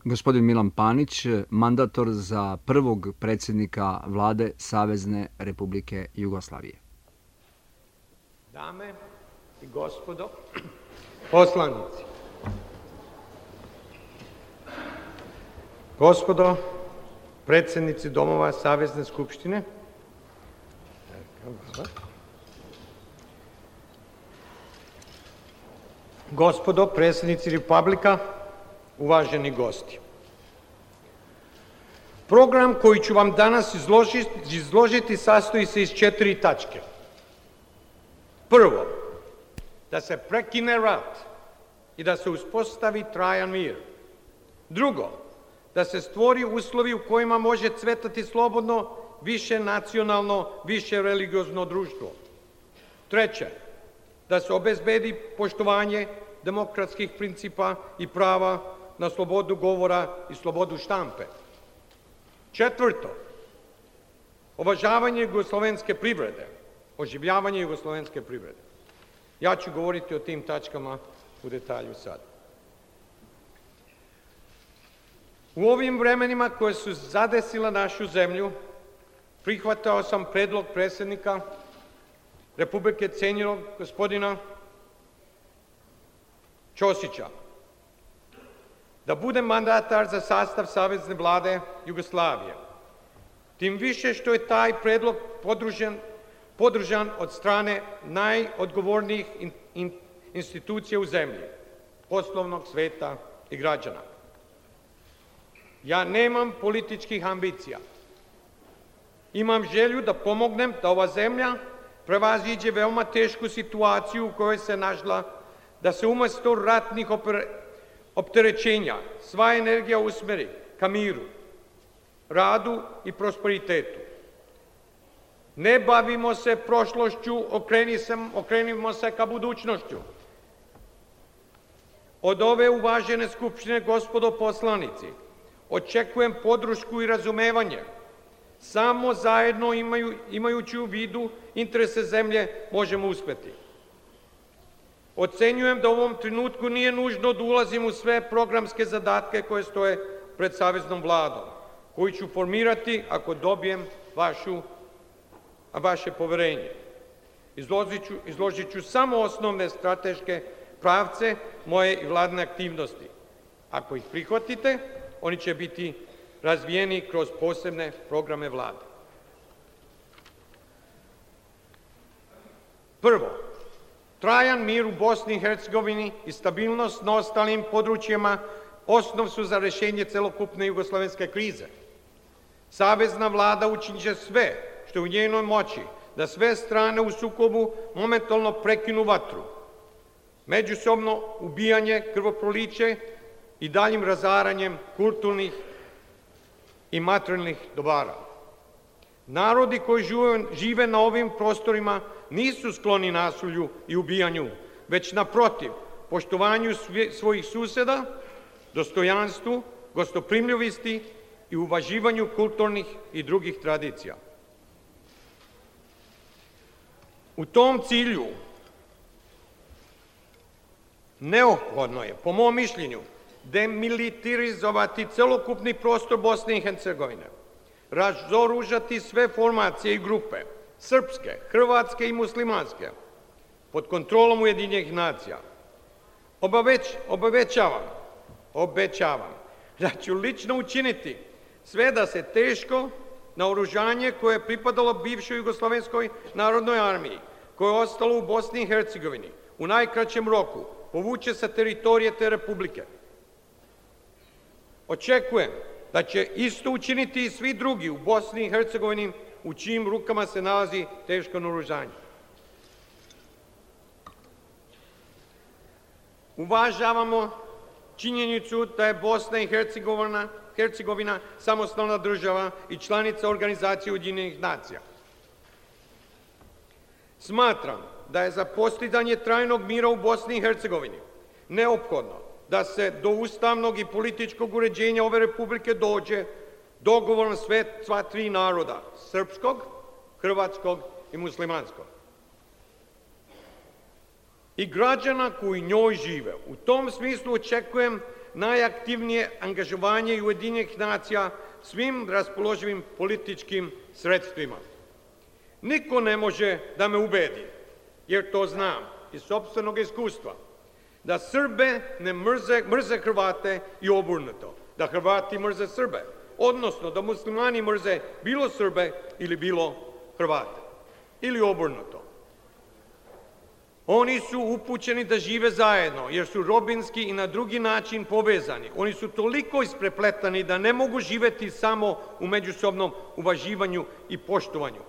Gospodin Milan Panić, mandator za prvog predsjednika Vlade Savezne Republike Jugoslavije. Dame i gospodo poslanici, gospodo predsjednici domova Savezne skupštine, gospodo predsjednici Republika, uvaženi gosti. Program koji ću vam danas izložiti sastoji se iz 4 tačke. Prvo, da se prekine rat i da se uspostavi trajan mir. Drugo, da se stvori uslovi u kojima može cvetati slobodno, više nacionalno, više religiozno društvo. Treće, da se obezbedi poštovanje demokratskih principa i prava na slobodu govora i slobodu štampe. Četvrto, uvažavanje jugoslovenske privrede, oživljavanje jugoslovenske privrede. Ja ću govoriti o tim tačkama u detalju sad. U ovim vremenima koje su zadesila našu zemlju, prihvatao sam predlog predsjednika Republike cijenjenog gospodina Ćosića da bude mandatar za sastav Savezne vlade Jugoslavije. Tim više što je taj predlog podržan od strane najodgovornijih institucija u zemlji, poslovnog sveta i građana. Ja nemam političkih ambicija. Imam želju da pomognem da ova zemlja prevaziđe veoma tešku situaciju u kojoj se našla, da se umjesto ratnih opterećenja sva energija usmeri ka miru, radu i prosperitetu. Ne bavimo se prošlošću, okrenimo se ka budućnošću. Od ove uvažene skupštine, gospodo poslanici, očekujem podršku i razumevanje. Samo zajedno imajući u vidu interese zemlje možemo uspjeti. Ocenjujem da u ovom trenutku nije nužno da ulazim u sve programske zadatke koje stoje pred Saveznom vladom, koju ću formirati ako dobijem vaše poverenje. Izložit ću samo osnovne strateške pravce moje i vladine aktivnosti. Ako ih prihvatite, oni će biti razvijeni kroz posebne programe vlade. Prvo, trajan mir u Bosni i Hercegovini i stabilnost na ostalim područjima osnov su za rješenje celokupne jugoslovenske krize. Savezna vlada učinit će sve što je u njenoj moći da sve strane u sukobu momentalno prekinu vatru, međusobno ubijanje, krvoproliće i daljim razaranjem kulturnih i materijalnih dobara. Narodi koji žive na ovim prostorima nisu skloni nasilju i ubijanju, već naprotiv, poštovanju svojih susjeda, dostojanstvu, gostoprimljivosti i uvaživanju kulturnih i drugih tradicija. U tom cilju neophodno je, po mom mišljenju, demilitarizovati celokupni prostor Bosne i Hercegovine, razoružati sve formacije i grupe, srpske, hrvatske i muslimanske, pod kontrolom Ujedinjenih nacija. Obećavam da ću lično učiniti sve da se teško naoružanje koje je pripadalo bivšoj Jugoslovenskoj narodnoj armiji, koje je ostalo u Bosni i Hercegovini, u najkraćem roku povuče sa teritorije te republike. Očekujem da će isto učiniti i svi drugi u Bosni i Hercegovini u čijim rukama se nalazi teško naoružanje. Uvažavamo činjenicu da je Bosna i Hercegovina samostalna država i članica Organizacije Ujedinjenih nacija. Smatram da je za postizanje trajnog mira u Bosni i Hercegovini neophodno da se do ustavnog i političkog uređenja ove republike dođe dogovorom sva tri naroda, srpskog, hrvatskog i muslimanskog. I građana koji njoj žive. U tom smislu očekujem najaktivnije angažovanje Ujedinjenih nacija svim raspoloživim političkim sredstvima. Niko ne može da me ubedi, jer to znam iz sopstvenog iskustva, da Srbe ne mrze Hrvate i obrnuto, da Hrvati mrze Srbe, odnosno da muslimani mrze bilo Srbe ili bilo Hrvate, ili obrnuto. Oni su upućeni da žive zajedno, jer su rodbinski i na drugi način povezani. Oni su toliko isprepletani da ne mogu živeti samo u međusobnom uvaživanju i poštovanju.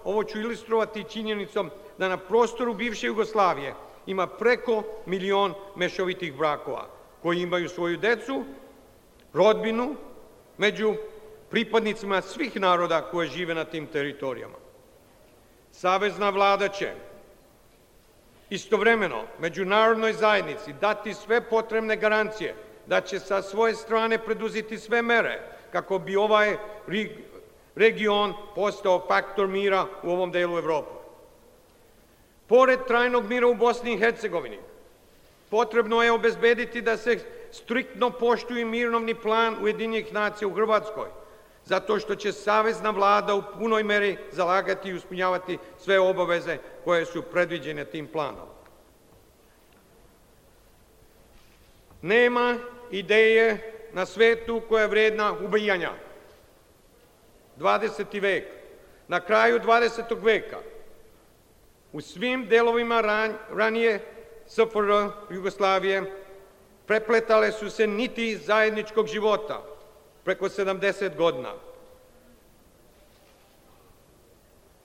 Ovo ću ilustrovati činjenicom da na prostoru bivše Jugoslavije ima preko 1.000.000 mešovitih brakova, koji imaju svoju decu, rodbinu, među pripadnicima svih naroda koje žive na tim teritorijama. Savezna vlada će istovremeno međunarodnoj zajednici dati sve potrebne garancije da će sa svoje strane preduzeti sve mere kako bi ovaj region postao faktor mira u ovom delu Evrope. Pored trajnog mira u Bosni i Hercegovini, potrebno je obezbediti da se striktno poštuje mirovni plan Ujedinjenih nacija u Hrvatskoj, zato što će savezna vlada u punoj meri zalagati i ispunjavati sve obaveze koje su predviđene tim planom. Nema ideje na svetu koja je vredna ubijanja. 20. vek, na kraju 20. veka, u svim delovima ranije SFRJ Jugoslavije prepletale su se niti zajedničkog života preko 70 godina.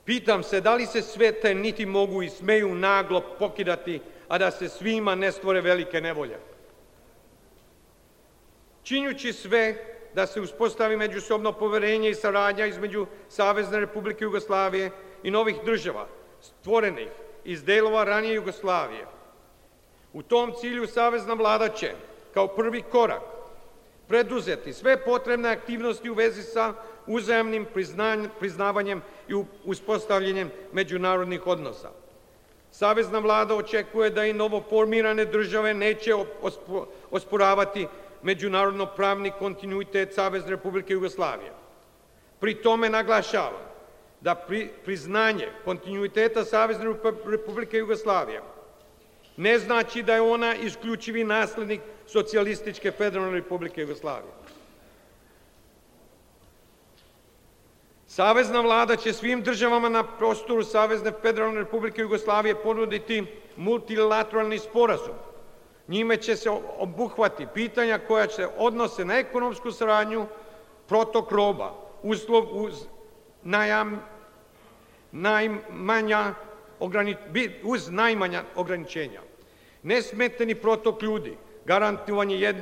Pitam se da li se sve te niti mogu i smeju naglo pokidati, a da se svima ne stvore velike nevolje. Činjući sve da se uspostavi međusobno poverenje i saradnja između Savezne Republike Jugoslavije i novih država, stvorenih iz delova ranije Jugoslavije. U tom cilju savezna vlada će, kao prvi korak, preduzeti sve potrebne aktivnosti u vezi sa uzajamnim priznavanjem i uspostavljanjem međunarodnih odnosa. Savezna vlada očekuje da i novoformirane države neće osporavati međunarodno pravni kontinuitet Savezne Republike Jugoslavije. Pri tome naglašavam da priznanje kontinuiteta Savezne Republike Jugoslavije ne znači da je ona isključivi naslednik Socijalističke federalne Republike Jugoslavije. Savezna vlada će svim državama na prostoru Savezne federalne Republike Jugoslavije ponuditi multilateralni sporazum. Njime će se obuhvati pitanja koja se odnose na ekonomsku saradnju, protok roba, uslov uz najmanja ograničenja, nesmetani protok ljudi, garantovanje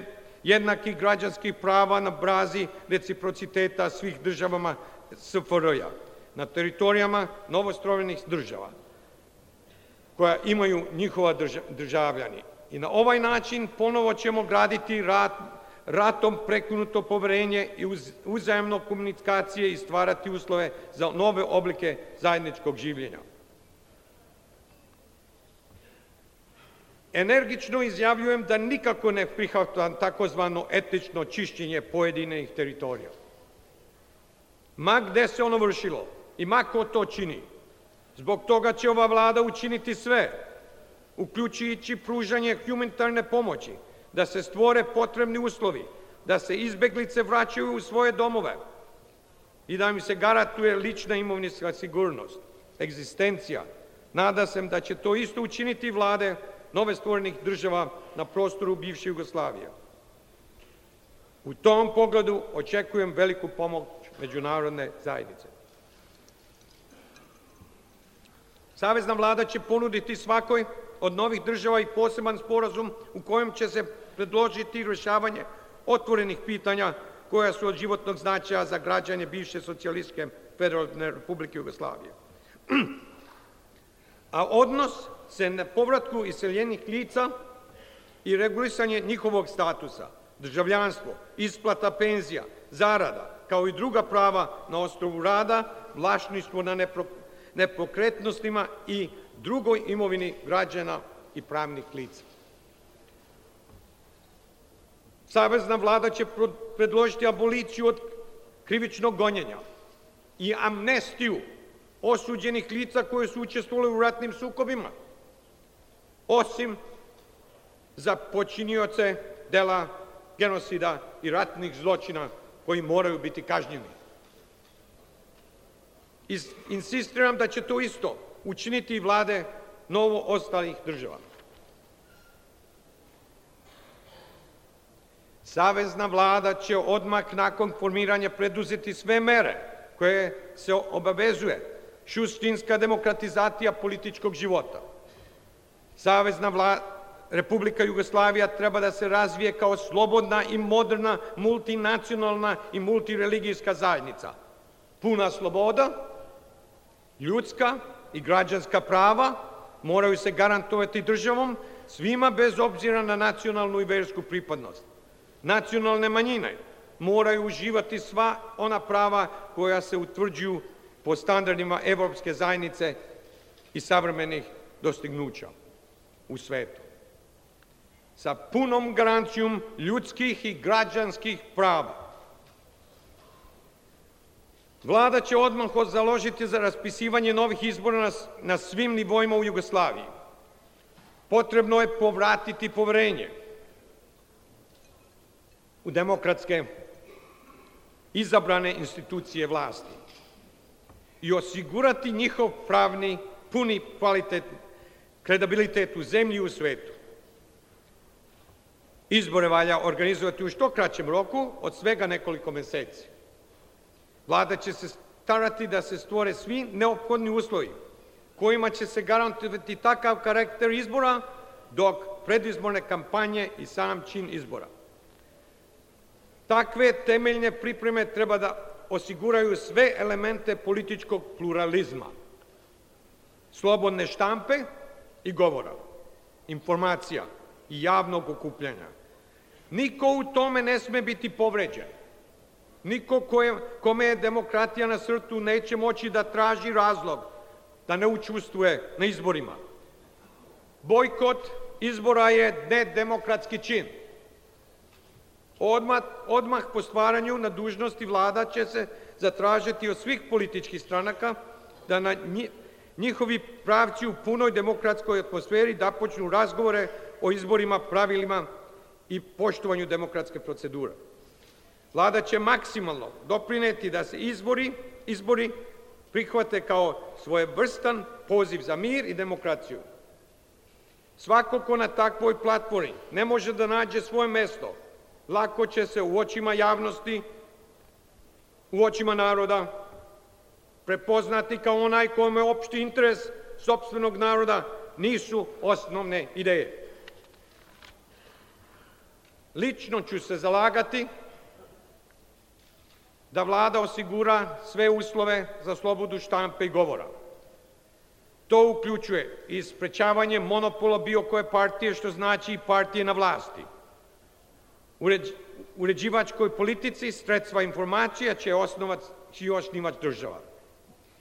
jednakih građanskih prava na bazi reciprociteta svih državama SFRJ-a na teritorijama novostvorenih država koja imaju njihova državljani. I na ovaj način ponovo ćemo graditi ratom prekinuto poverenje i uzajamno komunikacije i stvarati uslove za nove oblike zajedničkog življenja. Energično izjavljujem da nikako ne prihvatam takozvano etnično čišćenje pojedinih teritorija. Ma gde se ono vršilo i ma ko to čini. Zbog toga će ova vlada učiniti sve, uključujući pružanje humanitarne pomoći, da se stvore potrebni uslovi, da se izbeglice vraćaju u svoje domove i da im se garantuje lična imovinska sigurnost, egzistencija. Nadam se da će to isto učiniti vlade nove stvorenih država na prostoru bivše Jugoslavije. U tom pogledu očekujem veliku pomoć međunarodne zajednice. Savezna vlada će ponuditi svakoj od novih država i poseban sporazum u kojem će se predložiti rješavanje otvorenih pitanja koja su od životnog značaja za građane bivše Socijalističke federalne Republike Jugoslavije. A odnos se na povratku iseljenih lica i regulisanje njihovog statusa, državljanstvo, isplata penzija, zarada, kao i druga prava na osnovu rada, vlasništvo na nepokretnostima i drugoj imovini građana i pravnih lica. Savezna vlada će predložiti aboliciju od krivičnog gonjenja i amnestiju osuđenih lica koje su učestvovali u ratnim sukobima, osim za počinioce dela genocida i ratnih zločina koji moraju biti kažnjeni. Insistiram da će to isto učiniti i vlade novo ostalih država. Savezna vlada će odmah nakon formiranja preduzeti sve mere koje se obavezuje suštinska demokratizacija političkog života. Savezna Republika Jugoslavija treba da se razvije kao slobodna i moderna multinacionalna i multireligijska zajednica. Puna sloboda, ljudska i građanska prava moraju se garantovati državom svima bez obzira na nacionalnu i versku pripadnost. Nacionalne manjine moraju uživati sva ona prava koja se utvrđuju po standardima Evropske zajednice i savremenih dostignuća u svetu. Sa punom garancijom ljudskih i građanskih prava. Vlada će odmah založiti za raspisivanje novih izbora na svim nivoima u Jugoslaviji. Potrebno je povratiti poverenje u demokratske izabrane institucije vlasti i osigurati njihov pravni, puni kvalitet, kredibilitet u zemlji i u svetu. Izbore valja organizovati u što kraćem roku, od svega nekoliko meseci. Vlada će se starati da se stvore svi neophodni uslovi kojima će se garantovati takav karakter izbora dok predizborne kampanje i sam čin izbora. Takve temeljne pripreme treba da osiguraju sve elemente političkog pluralizma, slobodne štampe i govora, informacija i javnog okupljanja. Niko u tome ne sme biti povređen. Niko kome je demokratija na srcu neće moći da traži razlog da ne učestvuje na izborima. Bojkot izbora je nedemokratski čin. Odmah po stvaranju na dužnosti vlada će se zatražiti od svih političkih stranaka da na njihovi pravci u punoj demokratskoj atmosferi da počnu razgovore o izborima, pravilima i poštovanju demokratske procedure. Vlada će maksimalno doprineti da se izbori prihvate kao svojevrstan poziv za mir i demokraciju. Svako ko na takvoj platformi ne može da nađe svoje mesto, lako će se u očima javnosti, u očima naroda prepoznati kao onaj kome opšti interes sopstvenog naroda nisu osnovne ideje. Lično ću se zalagati da vlada osigura sve uslove za slobodu štampe i govora. To uključuje i sprečavanje monopola bilo koje partije, što znači i partije na vlasti. Uređivačkoj politici sredstva informacija će osnivač država,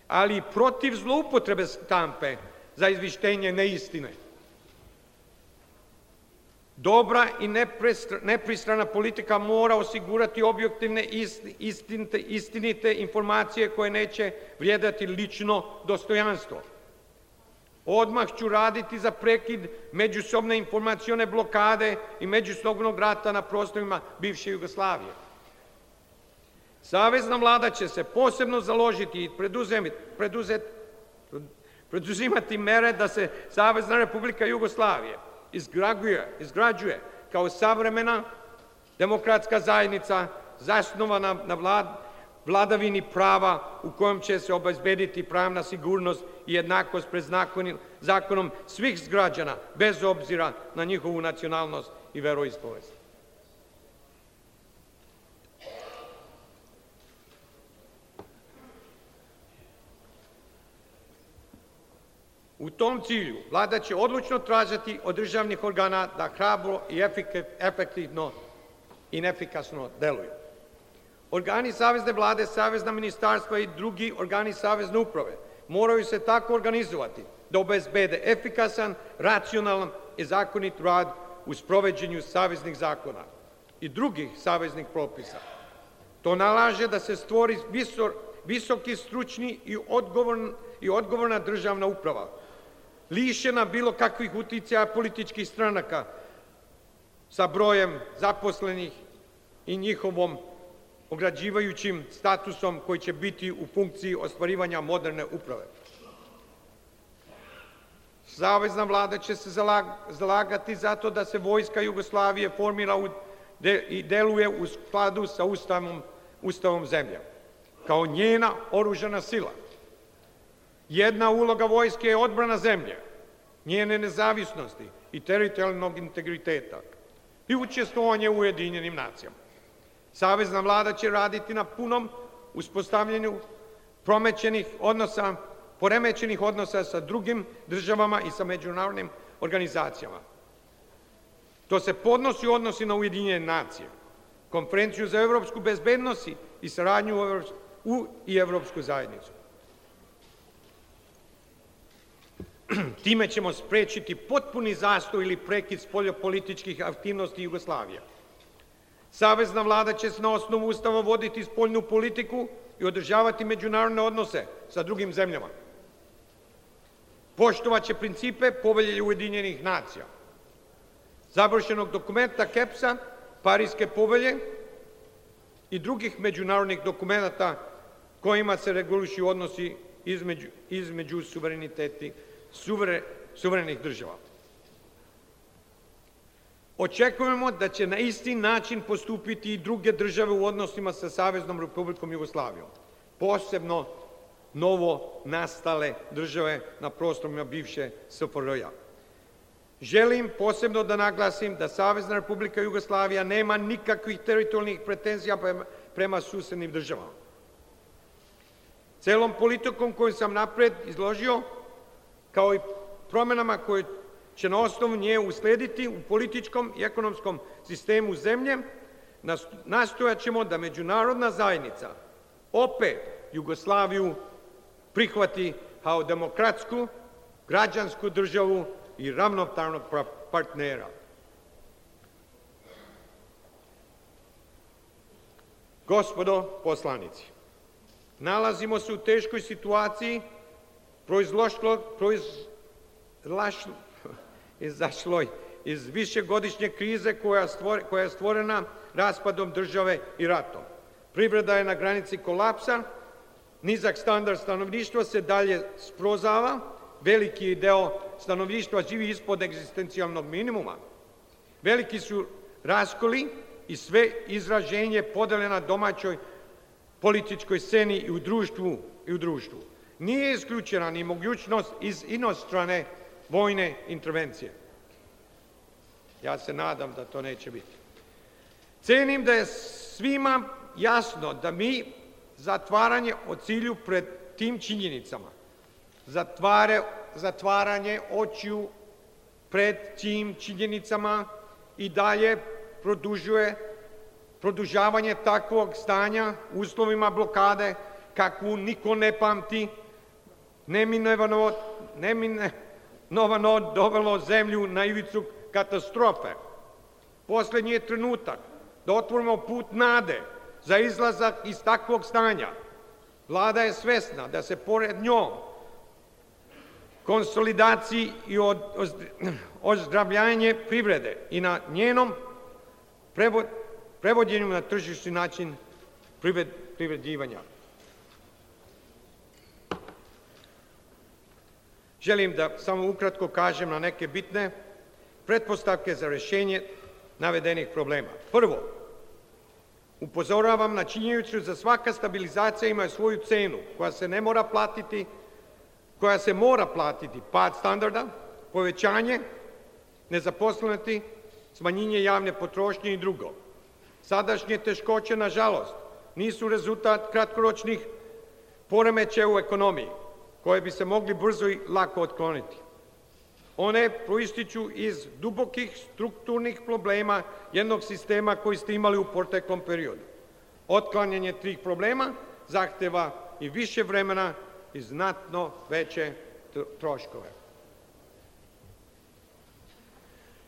ali i protiv zloupotrebe štampe za izvištenje neistine. Dobra i nepristrana politika mora osigurati objektivne, istinite informacije koje neće vrijedati lično dostojanstvo. Odmah ću raditi za prekid međusobne informacione blokade i međusobnog rata na prostorima bivše Jugoslavije. Savezna vlada će se posebno založiti i preduzimati mere da se Savezna Republika Jugoslavije izgrađuje kao savremena demokratska zajednica zasnovana na vladavini prava u kojem će se obezbediti pravna sigurnost i jednakost pred zakonom svih građana, bez obzira na njihovu nacionalnost i veroispovest. U tom cilju vlada će odlučno tražiti od državnih organa da hrabro i efektivno i efikasno deluju. Organi savezne vlade, savezna ministarstva i drugi organi savezne uprave moraju se tako organizovati da obezbede efikasan, racionalan i zakonit rad u sprovođenju saveznih zakona. i drugih saveznih propisa. To nalaže da se stvori visoki, stručni i odgovorna državna uprava, lišena bilo kakvih uticaja političkih stranaka sa brojem zaposlenih i njihovom ograđivajućim statusom koji će biti u funkciji ostvarivanja moderne uprave. Savezna vlada će se zalagati zato da se Vojska Jugoslavije formira i deluje u skladu sa Ustavom zemlje, kao njena oružana sila. Jedna uloga vojske je odbrana zemlje, njene nezavisnosti i teritorijalnog integriteta i učestvovanje u Ujedinjenim nacijama. Savezna vlada će raditi na punom uspostavljanju poremećenih odnosa sa drugim državama i sa međunarodnim organizacijama. To se odnosi na Ujedinjene nacije, Konferenciju za evropsku bezbednost i saradnju i Evropsku zajednicu. Time ćemo sprečiti potpuni zastoj ili prekid spoljnopolitičkih aktivnosti Jugoslavije. Savezna vlada će se na osnovu Ustava voditi spoljnu politiku i održavati međunarodne odnose sa drugim zemljama. Poštovaće principe Povelje Ujedinjenih nacija, završenog dokumenta KEPS-a, Pariske povelje i drugih međunarodnih dokumenata kojima se regulišu odnosi između suverenih država. Očekujemo da će na isti način postupiti i druge države u odnosima sa Saveznom Republikom Jugoslavijom, posebno novo nastale države na prostorima bivše SFRJ. Želim posebno da naglasim da Savezna Republika Jugoslavija nema nikakvih teritorijalnih pretenzija prema susednim državama. Celom politikom koju sam napred izložio, kao i promenama koje će na osnovu nje uslediti u političkom i ekonomskom sistemu zemlje, nastojat ćemo da međunarodna zajednica opet Jugoslaviju prihvati kao demokratsku, građansku državu i ravnopravnog partnera. Gospodo poslanici, nalazimo se u teškoj situaciji izašloj iz višegodišnje krize koja je stvorena raspadom države i ratom. Privreda je na granici kolapsa, nizak standard stanovništva se dalje srozava, veliki deo stanovništva živi ispod egzistencijalnog minimuma, veliki su raskoli i sve izraženje podele na domaćoj političkoj sceni i u društvu. Nije isključena ni mogućnost iz inostrane vojne intervencije. Ja se nadam da to neće biti. Cenim da je svima jasno da mi zatvaranje o cilju pred tim činjenicama, zatvaranje očiju pred tim činjenicama i dalje produžavanje takvog stanja u uslovima blokade kakvu niko ne pamti, neminovano dovelo zemlju na ivicu katastrofe. Poslednji je trenutak da otvorimo put nade za izlazak iz takvog stanja. Vlada je svesna da se pored njom konsolidaciji i ozdravljanje privrede i na njenom prevođenju na tržišni način privređivanja. Želim da samo ukratko kažem na neke bitne pretpostavke za rešenje navedenih problema. Prvo, upozoravam na činjenicu da svaka stabilizacija ima svoju cenu koja se mora platiti, pad standarda, povećanje nezaposlenosti, smanjenje javne potrošnje i drugo. Sadašnje teškoće, nažalost, nisu rezultat kratkoročnih poremećaja u ekonomiji, koje bi se mogli brzo i lako otkloniti. One proističu iz dubokih strukturnih problema jednog sistema koji ste imali u proteklom periodu. Otklanjanje tih problema zahteva i više vremena i znatno veće troškove.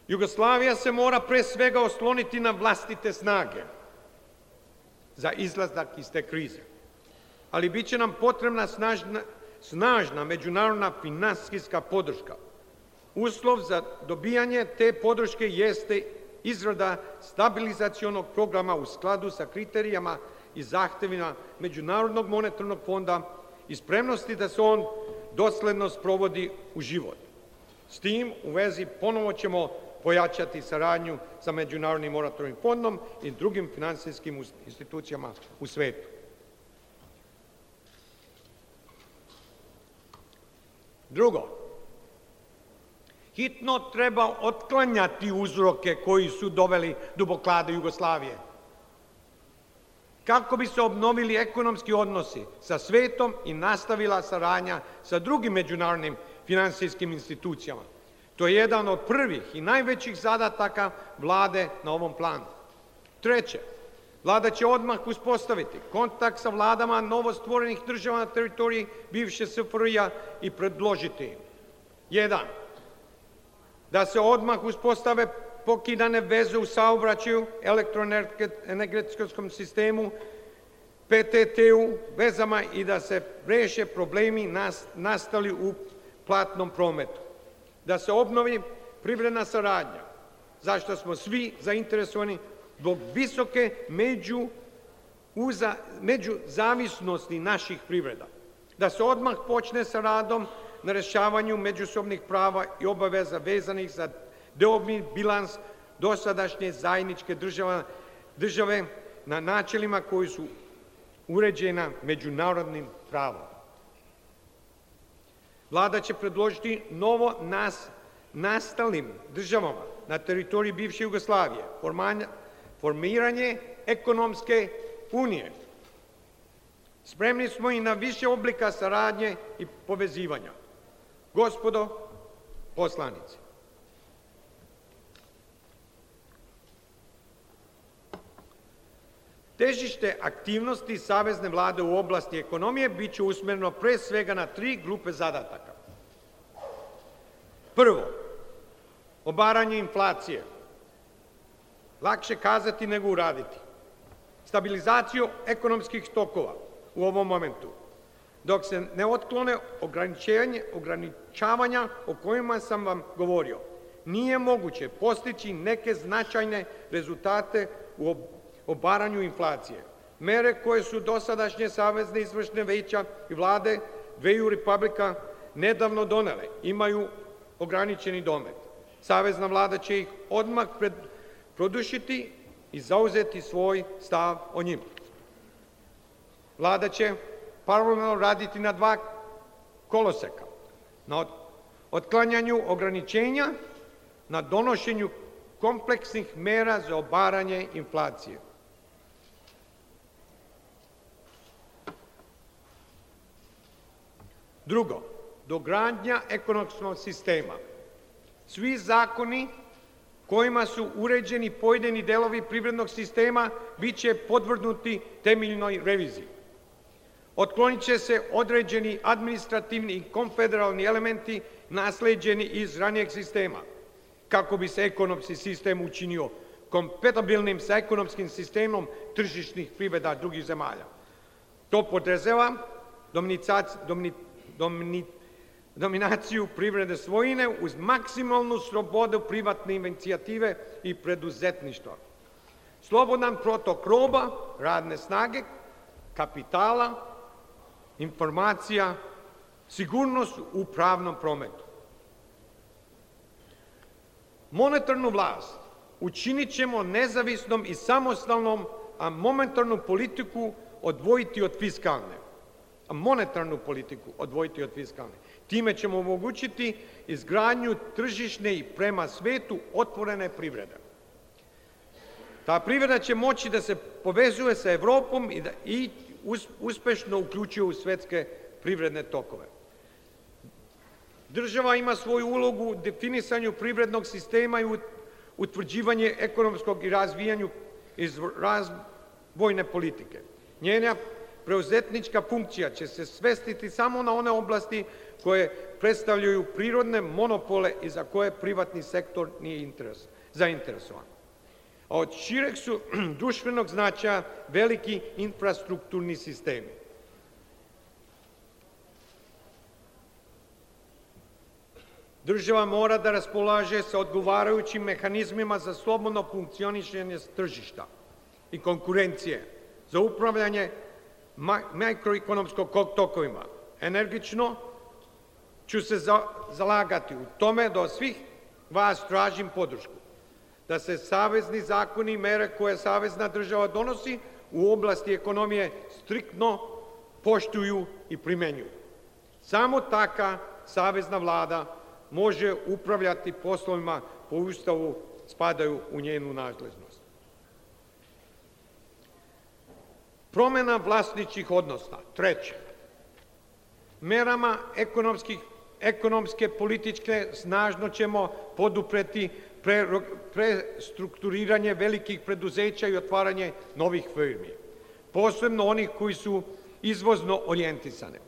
Jugoslavija se mora pre svega osloniti na vlastite snage za izlazak iz te krize. Ali bit će nam potrebna snažna međunarodna finansijska podrška. Uslov za dobijanje te podrške jeste izrada stabilizacionog programa u skladu sa kriterijama i zahtevima Međunarodnog monetarnog fonda i spremnosti da se on dosledno sprovodi u život. S tim u vezi ponovo ćemo pojačati saradnju sa Međunarodnim monetarnim fondom i drugim finansijskim institucijama u svetu. Drugo, hitno treba otklanjati uzroke koji su doveli do blokade Jugoslavije, kako bi se obnovili ekonomski odnosi sa svetom i nastavila saradnja sa drugim međunarodnim finansijskim institucijama. To je jedan od prvih i najvećih zadataka vlade na ovom planu. Treće, vlada će odmah uspostaviti kontakt sa vladama novostvorenih država na teritoriji bivše SFRJ-a i predložiti im: 1. Da se odmah uspostave pokidane veze u saobraćaju, elektroenergetskom sistemu, PTT-u, vezama i da se reše problemi nastali u platnom prometu. Da se obnovi privredna saradnja, zašto smo svi zainteresovani zbog visoke međuzavisnosti naših privreda. Da se odmah počne sa radom na rešavanju međusobnih prava i obaveza vezanih za deobni bilans dosadašnje zajedničke države na načelima koji su uređena međunarodnim pravom. Vlada će predložiti novo nastalim državama na teritoriji bivše Jugoslavije formiranje ekonomske unije. Spremni smo i na više oblika saradnje i povezivanja. Gospodo poslanici, težište aktivnosti Savezne vlade u oblasti ekonomije bit će usmereno pre svega na 3 grupe zadataka. Prvo, obaranje inflacije. Lakše kazati nego uraditi. Stabilizaciju ekonomskih tokova u ovom momentu, dok se ne otklone ograničavanja o kojima sam vam govorio. Nije moguće postići neke značajne rezultate u obaranju inflacije. Mere koje su dosadašnje savezne izvršne veća i vlade dveju republika nedavno donele imaju ograničeni domet. Savezna vlada će ih odmah produšiti i zauzeti svoj stav o njima. Vlada će paralelno raditi na 2 koloseka, na otklanjanju ograničenja, na donošenju kompleksnih mera za obaranje inflacije. Drugo, dogradnja ekonomskog sistema. Svi zakoni kojima su uređeni pojedini delovi privrednog sistema bit će podvrgnuti temeljnoj reviziji. Otklonit će se određeni administrativni i konfederalni elementi nasleđeni iz ranijeg sistema, kako bi se ekonomski sistem učinio kompatibilnim sa ekonomskim sistemom tržišnih privreda drugih zemalja. To podrazumeva dominaciju privredne svojine uz maksimalnu slobodu privatne inicijative i preduzetništva. Slobodan protok roba, radne snage, kapitala, informacija, sigurnost u pravnom prometu. Monetarnu vlast učinit ćemo nezavisnom i samostalnom, a monetarnu politiku odvojiti od fiskalne. Time ćemo omogućiti izgradnju tržišne i prema svetu otvorene privrede. Ta privreda će moći da se povezuje sa Evropom i uspešno uključuje u svetske privredne tokove. Država ima svoju ulogu u definisanju privrednog sistema i utvrđivanje ekonomskog i razvijanju iz razvojne politike. Njena preuzetnička funkcija će se svestiti samo na one oblasti koje predstavljaju prirodne monopole i za koje privatni sektor nije zainteresovan. A od šireg su društvenog značaja veliki infrastrukturni sistemi. Država mora da raspolaže sa odgovarajućim mehanizmima za slobodno funkcionišenje tržišta i konkurencije, za upravljanje makroekonomskog tokovima. Energično ću se zalagati u tome da od svih vas tražim podršku, da se savezni zakoni i mere koje savezna država donosi u oblasti ekonomije striktno poštuju i primenjuju. Samo taka savezna vlada može upravljati poslovima po Ustavu spadaju u njenu nadležnost. Promena vlasničkih odnosa. Treće, merama ekonomske, političke snažno ćemo podupreti prestrukturiranje velikih preduzeća i otvaranje novih firmi, posebno onih koji su izvozno orijentisane,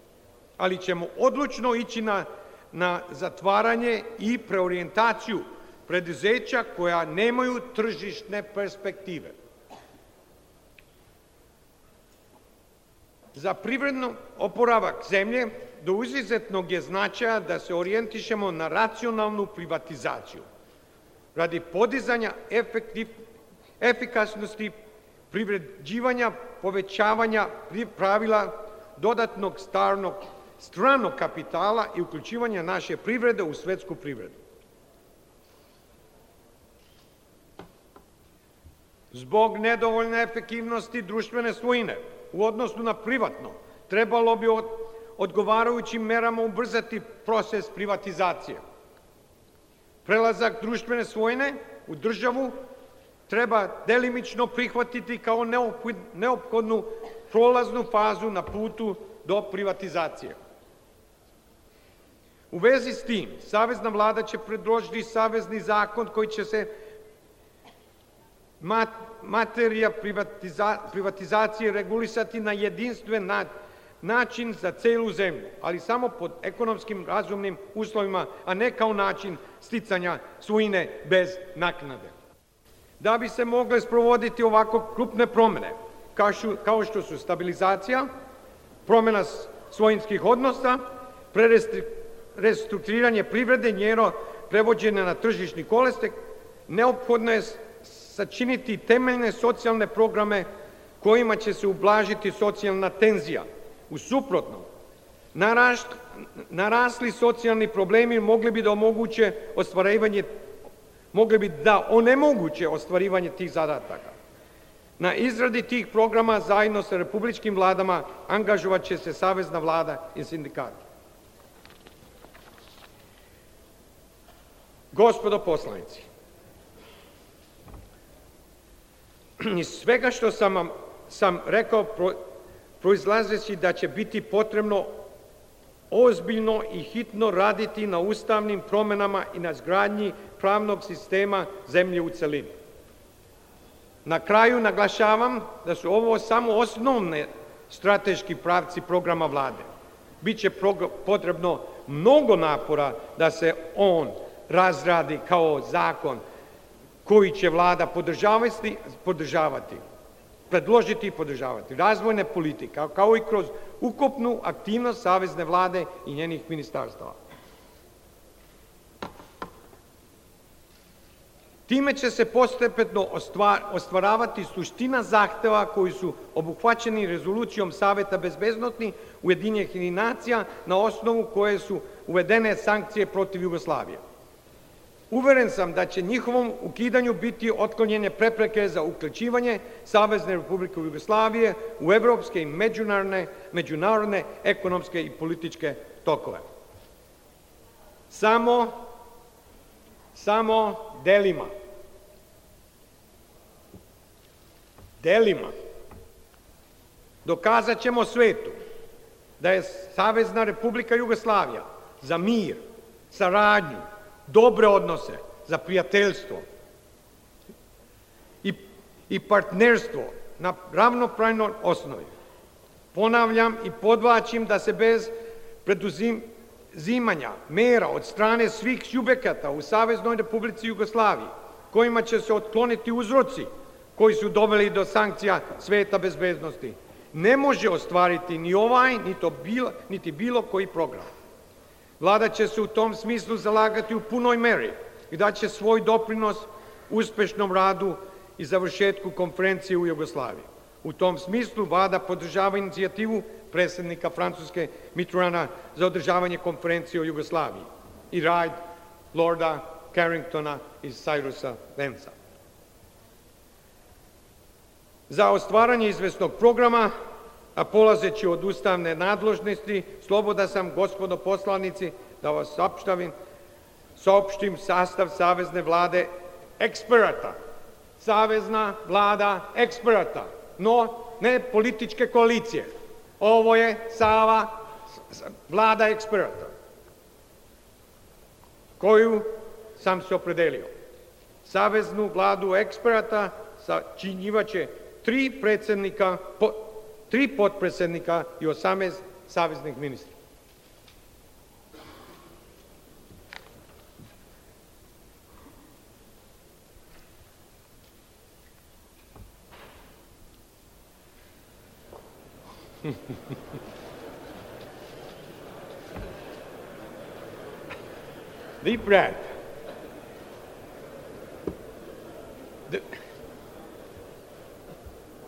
ali ćemo odlučno ići na zatvaranje i preorijentaciju preduzeća koja nemaju tržišne perspektive. Za privredno oporavak zemlje do izuzetnog je značaja da se orijentišemo na racionalnu privatizaciju radi podizanja efikasnosti privređivanja, povećavanja pravila dodatnog stranog kapitala i uključivanja naše privrede u svetsku privredu. Zbog nedovoljne efektivnosti društvene svojine u odnosu na privatno, trebalo bi odgovarajućim merama ubrzati proces privatizacije. Prelazak društvene svojine u državu treba delimično prihvatiti kao neophodnu prolaznu fazu na putu do privatizacije. U vezi s tim, savezna vlada će predložiti savezni zakon koji će se materija privatizacije regulisati na jedinstven način za celu zemlju, ali samo pod ekonomskim razumnim uslovima, a ne kao način sticanja svojine bez naknade. Da bi se mogle sprovoditi ovako krupne promene, kao što su stabilizacija, promjena svojinskih odnosa, restrukturiranje privrede, njeno prevođenje na tržišni kolosek, neophodno je sačiniti temeljne socijalne programe kojima će se ublažiti socijalna tenzija. U suprotnom, narasli socijalni problemi mogli bi da onemoguće ostvarivanje tih zadataka. Na izradi tih programa zajedno sa republičkim vladama angažovat će se savezna vlada i sindikati. Gospodo poslanici, iz svega što sam rekao proizlazeći da će biti potrebno ozbiljno i hitno raditi na ustavnim promjenama i na izgradnji pravnog sistema zemlje u celini. Na kraju naglašavam da su ovo samo osnovne strateški pravci programa vlade. Biće potrebno mnogo napora da se on razradi kao zakon koji će vlada podržavati, predložiti i podržavati razvojne politike, kao i kroz ukupnu aktivnost savezne vlade i njenih ministarstava. Time će se postepeno ostvaravati suština zahteva koji su obuhvaćeni rezolucijom Saveta bezbednosti Ujedinjenih nacija na osnovu koje su uvedene sankcije protiv Jugoslavije. Uveren sam da će njihovom ukidanju biti otklonjene prepreke za uključivanje Savezne Republike Jugoslavije u evropske i međunarodne ekonomske i političke tokove. Samo delima dokazat ćemo svetu da je Savezna Republika Jugoslavija za mir, saradnju, dobre odnose, za prijateljstvo i partnerstvo na ravnopravnoj osnovi. Ponavljam i podvlačim da se bez preduzimanja mera od strane svih subjekata u Saveznoj Republici Jugoslaviji, kojima će se otkloniti uzroci koji su doveli do sankcija Sveta bezbednosti, ne može ostvariti ni ovaj, niti bilo koji program. Vlada će se u tom smislu zalagati u punoj meri i daće svoj doprinos uspešnom radu i završetku konferencije u Jugoslaviji. U tom smislu Vlada podržava inicijativu predsjednika Francuske Mitterranda za održavanje konferencije o Jugoslaviji i rad Lorda Carringtona i Cyrusa Vanesa. Za ostvaranje izvesnog programa, a polazeći od ustavne nadležnosti, sloboda sam, gospodo poslanici, da vas saopštim sastav Savezne vlade eksperata. Savezna vlada eksperata, no ne političke koalicije. Ovo je vlada eksperata koju sam se opredelio. Saveznu vladu eksperata sačinjivaće 3 predsjednika, 3 potpredsjednika i 18 saveznih ministra. Deep breath.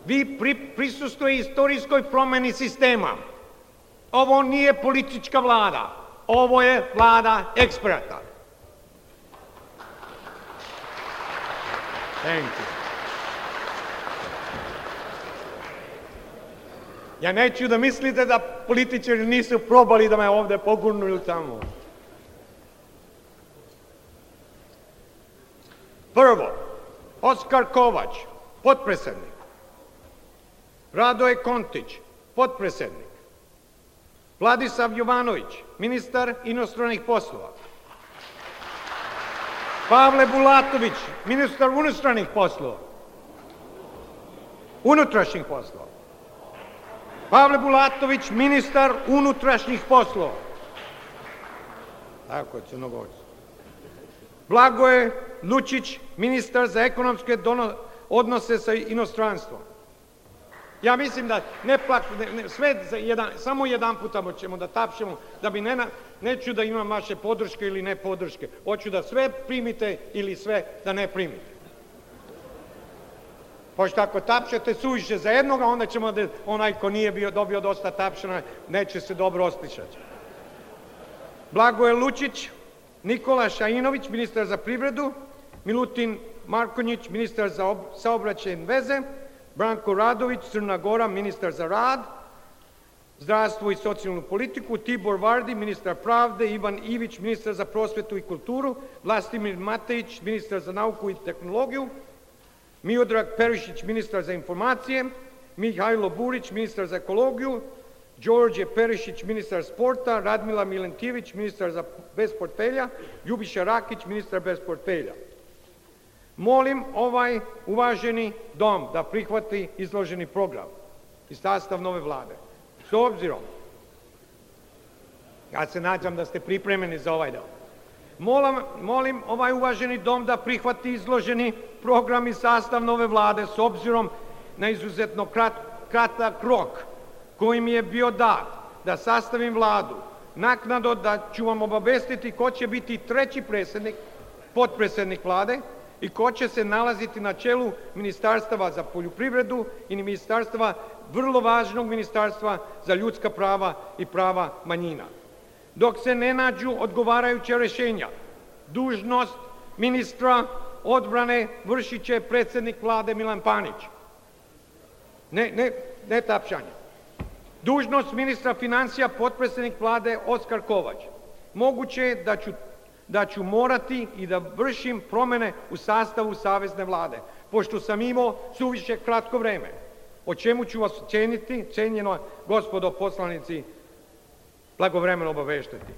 Vi prisustuje istorijskoj promjeni sistema. Ovo nije politička vlada. Ovo je vlada eksperata. Thank you. Ja neću da mislite da političari nisu probali da me ovde pogurnu ili tamo. Prvo, Oskar Kovač, potpredsjednik. Radoje Kontić, potpredsjednik. Vladislav Jovanović, ministar inostranih poslova. Pavle Bulatović, ministar unutrašnjih poslova. Pavle Bulatović, ministar unutrašnjih poslova. Tako je, Crnogorci. Blagoje Lučić, ministar za ekonomske odnose sa inostranstvom. Ja mislim da samo jedan puta ćemo da tapšemo, da bi neću da imam vaše podrške ili ne podrške. Hoću da sve primite ili sve da ne primite. Pošto ako tapšete suviše za jednoga, onda ćemo da onaj ko nije dobio dosta tapšana, neće se dobro osjećati. Blagoje Lučić, Nikola Šajinović, ministar za privredu, Milutin Markonjić, ministar za saobraćajne veze, Branko Radović, Crna Gora, ministar za rad, zdravstvo i socijalnu politiku, Tibor Vardi, ministar pravde, Ivan Ivić, ministar za prosvetu i kulturu, Vlastimir Matejić, ministar za nauku i tehnologiju, Miodrag Perišić, ministar za informacije, Mihajlo Burić, ministar za ekologiju, Đorđe Perišić, ministar sporta, Radmila Milentijević, ministar bez portfelja, Ljubiša Rakić, ministar bez portfelja. Molim ovaj uvaženi dom da prihvati izloženi program i sastav nove vlade. S obzirom, ja se nadam da ste pripremljeni za ovaj dom. Molim ovaj uvaženi dom da prihvati izloženi program i sastav nove vlade s obzirom na izuzetno kratak rok koji mi je bio dat da sastavim vladu. Naknadno da ću vam obavestiti ko će biti treći potpredsjednik vlade i ko će se nalaziti na čelu Ministarstva za poljoprivredu i ministarstva, vrlo važnog ministarstva za ljudska prava i prava manjina. Dok se ne nađu odgovarajuća rješenja, dužnost ministra odbrane vršit će predsjednik vlade Milan Panić. Ne tapšanje. Dužnost ministra financija potpredsjednik vlade Oskar Kovač. Moguće je da ću morati i da vršim promjene u sastavu Savezne vlade, pošto sam imao suviše kratko vreme, o čemu ću vas cijenjeno gospodo poslanici, blagovremeno obaveštati.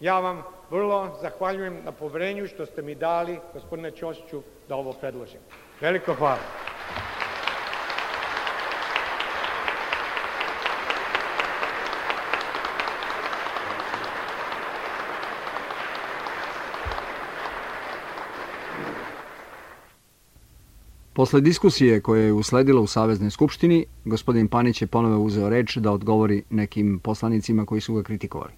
Ja vam vrlo zahvaljujem na poverenju što ste mi dali, gospodine Ćosiću, da ovo predložim. Veliko hvala. Posle diskusije koja je usledila u Saveznoj skupštini, gospodin Panić je ponovo uzeo reč da odgovori nekim poslanicima koji su ga kritikovali.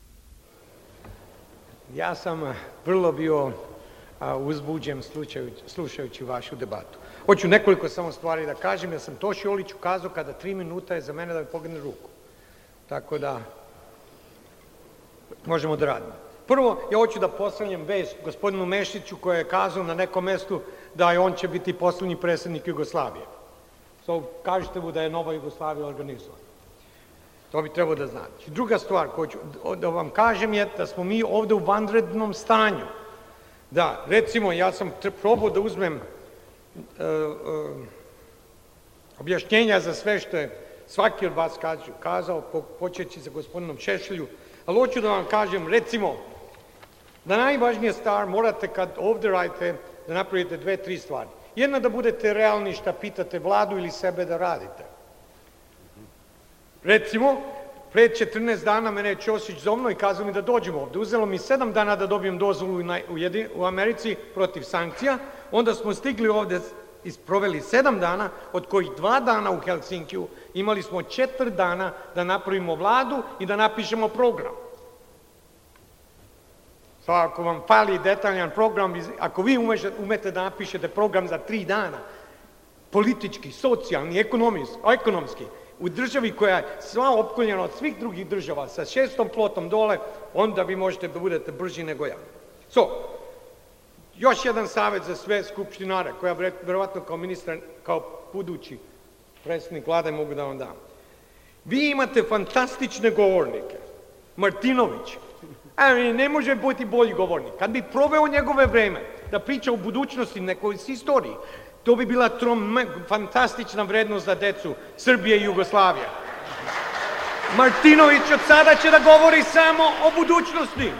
Ja sam vrlo bio uzbuđen slušajući vašu debatu. Hoću nekoliko samo stvari da kažem, ja sam Toši Oliću kazao kada 3 minuta je za mene da mi pogne ruku. Tako da možemo da radimo. Prvo, ja hoću da postavljam vest gospodinu Mešiću koji je kazao na nekom mestu da on će biti poslednji predsjednik Jugoslavije. Kažete mu da je Nova Jugoslavija organizovana. To bi trebalo da znate. Druga stvar koju ću da vam kažem je da smo mi ovde u vanrednom stanju. Da, recimo, ja sam probao da uzmem objašnjenja za sve što je svaki od vas kazao, počeći sa gospodinom Šešelju, ali hoću da vam kažem, recimo, da najvažnija stvar morate kad ovde radite da napravite 2-3 stvari. Jedna da budete realni šta pitate vladu ili sebe da radite. Recimo, pre 14 dana mene je Ćosić zovno i kazao mi da dođem ovde. Uzelo mi 7 dana da dobijem dozvolu u Americi protiv sankcija, onda smo stigli ovde i proveli 7 dana, od kojih 2 dana u Helsinkiju, imali smo 4 dana da napravimo vladu i da napišemo program. Ako vam fali detaljan program, ako vi umete da napišete program za 3 dana, politički, socijalni, ekonomski, u državi koja je sva opkoljena od svih drugih država, sa 6. flotom dole, onda vi možete da budete brži nego ja. Još jedan savjet za sve skupštinare, koja verovatno kao ministar, kao budući predsjednik vlade mogu da vam dam. Vi imate fantastične govornike. Martinović, ne može biti bolji govornik. Kad bi proveo njegove vreme da priča o budućnosti, nekoj istoriji, to bi bila fantastična vrednost za decu Srbije i Jugoslavije. Martinović od sada će da govori samo o budućnosti.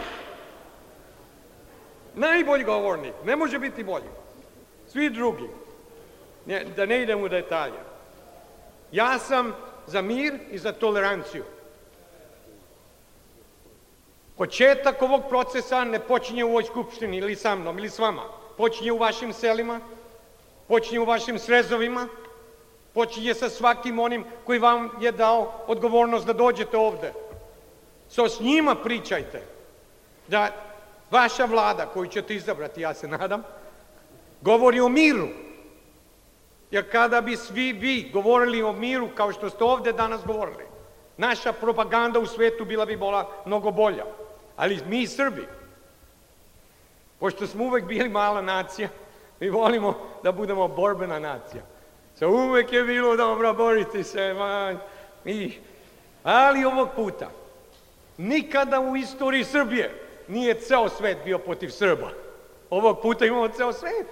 Najbolji govornik, ne može biti bolji. Svi drugi, da ne idem u detalje. Ja sam za mir i za toleranciju. Početak ovog procesa ne počinje u ovoj skupštini ili sa mnom ili s vama. Počinje u vašim selima, počinje u vašim srezovima, počinje sa svakim onim koji vam je dao odgovornost da dođete ovde. S njima pričajte da vaša vlada koju ćete izabrati, ja se nadam, govori o miru. Jer kada bi svi vi govorili o miru kao što ste ovde danas govorili, naša propaganda u svetu bila bi mnogo bolja. Ali mi Srbi, pošto smo uvek bili mala nacija, mi volimo da budemo borbena nacija. Uvek je bilo dobro boriti se, ali ovog puta, nikada u istoriji Srbije nije ceo svet bio protiv Srba. Ovog puta imamo ceo svet.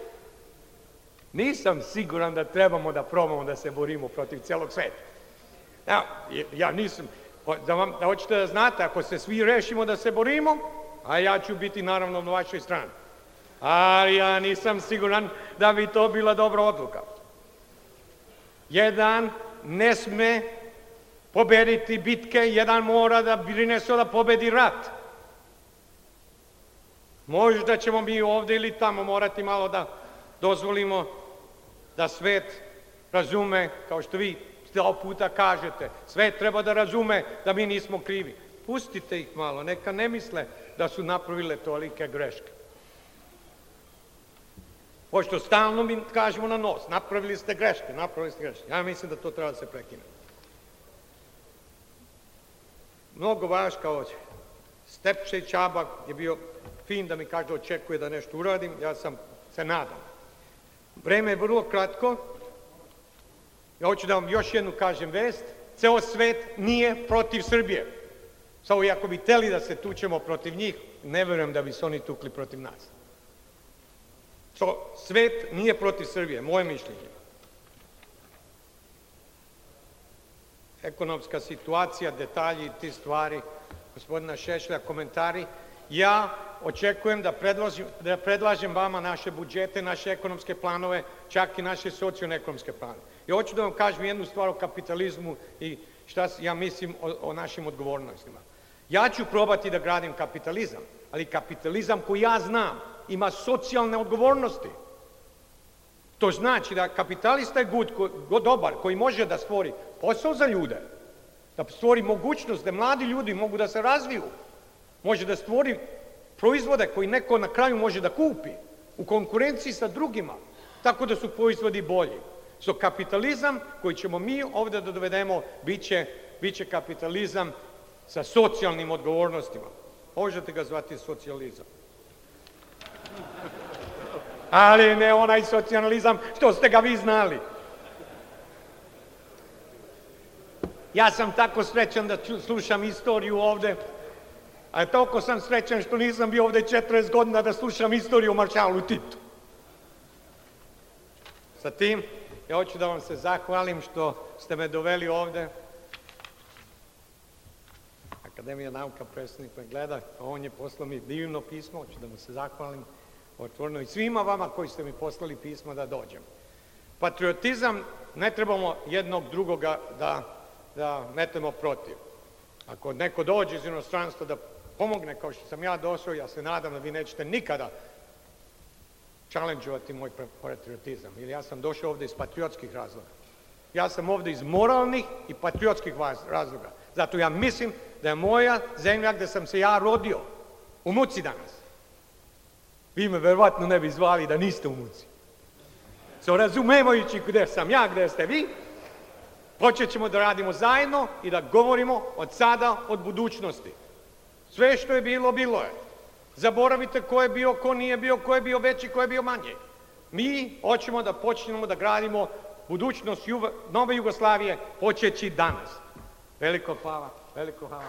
Nisam siguran da trebamo da probamo da se borimo protiv celog sveta. Ja nisam, da hoćete da znate, ako se svi rešimo da se borimo, a ja ću biti naravno na vašoj strani. Ali ja nisam siguran da bi to bila dobra odluka. Jedan ne sme pobediti bitke, jedan mora da brine se da pobedi rat. Možda ćemo mi ovde ili tamo morati malo da dozvolimo da svet razume, kao što vi sto puta kažete, svet treba da razume da mi nismo krivi. Pustite ih malo, neka ne misle da su napravile tolike greške. Pošto stalno mi kažemo na nos, napravili ste greške. Ja mislim da to treba da se prekine. Mnogo vaš kao Stepše Čaba je bio fin da mi kaže da očekuje da nešto uradim, ja se nadam. Vreme je vrlo kratko, ja hoću da vam još jednu kažem vest, ceo svet nije protiv Srbije. Samo i ako bi hteli da se tučemo protiv njih, ne verujem da bi se oni tukli protiv nas. Svet nije protiv Srbije, moje mišljenje. Ekonomska situacija, detalji, ti stvari, gospodina Šešelja, komentari. Ja očekujem da predlažem vama naše budžete, naše ekonomske planove, čak i naše socijalno-ekonomske planove. I hoću da vam kažem jednu stvar o kapitalizmu i šta ja mislim o našim odgovornostima. Ja ću probati da gradim kapitalizam, ali kapitalizam koji ja znam ima socijalne odgovornosti. To znači da kapitalista je dobar, koji može da stvori posao za ljude, da stvori mogućnost da mladi ljudi mogu da se razviju, može da stvori proizvode koji neko na kraju može da kupi u konkurenciji sa drugima, tako da su proizvodi bolji. So kapitalizam koji ćemo mi ovde da dovedemo biće kapitalizam sa socijalnim odgovornostima. Možete ga zvati socijalizam. Ali ne onaj socijalizam što ste ga vi znali. Ja sam tako srećan da slušam istoriju ovde, a toliko sam srećan što nisam bio ovde 40 godina da slušam istoriju o maršalu Titu. Sa tim, ja hoću da vam se zahvalim što ste me doveli ovde. Akademija nauka, predstavnik me gleda, a on je poslao mi divno pismo, hoću da mu se zahvalim otvoreno i svima vama koji ste mi poslali pismo da dođem. Patriotizam, ne trebamo jednog drugoga da metemo protiv. Ako neko dođe iz inostranstva da pomogne kao što sam ja došao, ja se nadam da vi nećete nikada challenge-ovati moj patriotizam. Ili ja sam došao ovde iz patriotskih razloga. Ja sam ovde iz moralnih i patriotskih razloga. Zato ja mislim da je moja zemlja gde sam se ja rodio u muci danas. Vi me verovatno ne bi zvali da niste u muci. Razumevajući gde sam ja, gde ste vi, počet ćemo da radimo zajedno i da govorimo od sada, od budućnosti. Sve što je bilo, bilo je. Zaboravite ko je bio, ko nije bio, ko je bio veći, ko je bio manji. Mi hoćemo da počnemo da gradimo budućnost nove Jugoslavije počeći danas. Veliko hvala, veliko hvala.